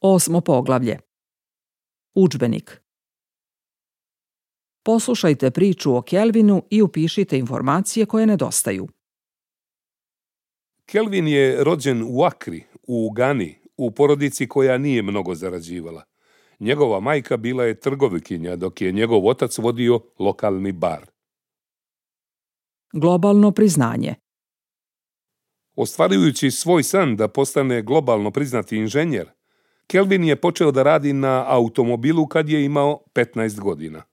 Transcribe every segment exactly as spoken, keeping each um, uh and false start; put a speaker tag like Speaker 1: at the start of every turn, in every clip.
Speaker 1: Osmo poglavlje. Udžbenik. Poslušajte priču o Kelvinu i upišite informacije koje nedostaju.
Speaker 2: Kelvin je rođen u Akri, u Gani, u porodici koja nije mnogo zarađivala. Njegova majka bila je trgovikinja, dok je njegov otac vodio lokalni bar.
Speaker 1: Globalno priznanje.
Speaker 2: Ostvarujući svoj san da postane globalno priznati inženjer, Kelvin je počeo da radi na automobilu kad je imao petnaest godina.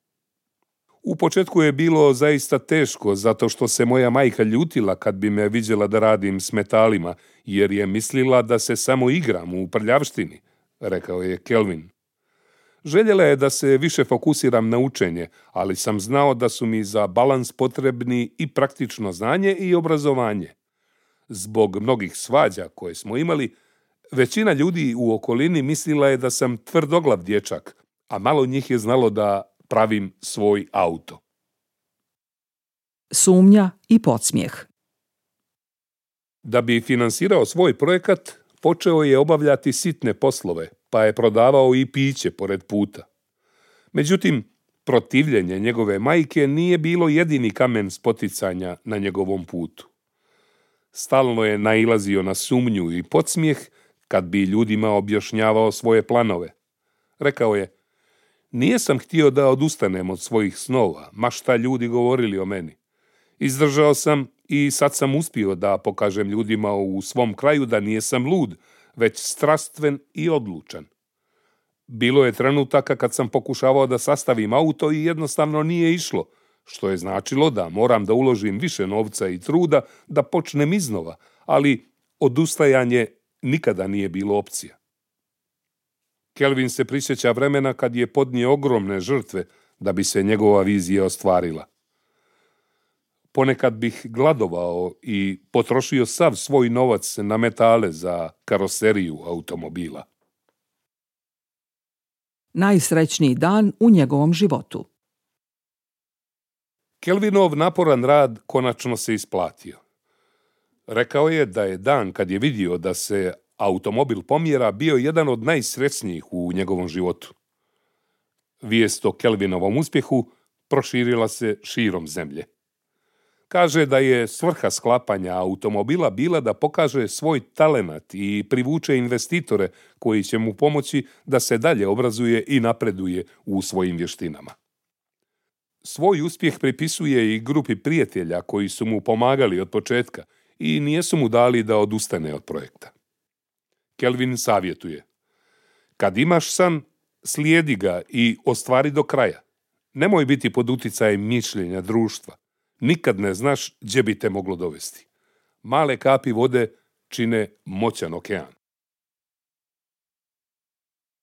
Speaker 2: U početku je bilo zaista teško, zato što se moja majka ljutila kad bi me viđela da radim s metalima, jer je mislila da se samo igram u prljavštini, rekao je Kelvin. Željela je da se više fokusiram na učenje, ali sam znao da su mi za balans potrebni i praktično znanje i obrazovanje. Zbog mnogih svađa koje smo imali, većina ljudi u okolini mislila je da sam tvrdoglav dječak, a malo njih je znalo da pravim svoj auto.
Speaker 1: Sumnja i podsmijeh.
Speaker 2: Da bi finansirao svoj projekat, počeo je obavljati sitne poslove, pa je prodavao i piće pored puta. Međutim, protivljenje njegove majke nije bilo jedini kamen spoticanja na njegovom putu. Stalno je nailazio na sumnju i podsmijeh kad bi ljudima objašnjavao svoje planove. Rekao je: "Nije sam htio da odustanem od svojih snova, ma šta ljudi govorili o meni. Izdržao sam i sad sam uspio da pokažem ljudima u svom kraju da nijesam lud, već strastven i odlučan. Bilo je trenutaka kad sam pokušavao da sastavim auto i jednostavno nije išlo, što je značilo da moram da uložim više novca i truda da počnem iznova, ali odustajanje nikada nije bilo opcija." Kelvin se prisjeća vremena kad je podnio ogromne žrtve da bi se njegova vizija ostvarila. Ponekad bih gladovao i potrošio sav svoj novac na metale za karoseriju automobila.
Speaker 1: Najsrećniji dan u njegovom životu.
Speaker 2: Kelvinov naporan rad konačno se isplatio. Rekao je da je dan kad je vidio da se automobil pomjera bio jedan od najsrećnijih u njegovom životu. Vijest o Kelvinovom uspjehu proširila se širom zemlje. Kaže da je svrha sklapanja automobila bila da pokaže svoj talenat i privuče investitore koji će mu pomoći da se dalje obrazuje i napreduje u svojim vještinama. Svoj uspjeh pripisuje i grupi prijatelja koji su mu pomagali od početka i nijesu mu dali da odustane od projekta. Kelvin savjetuje: "Kad imaš san, slijedi ga i ostvari do kraja. Nemoj biti pod uticajem mišljenja društva. Nikad ne znaš gdje bi te moglo dovesti. Male kapi vode čine moćan okean."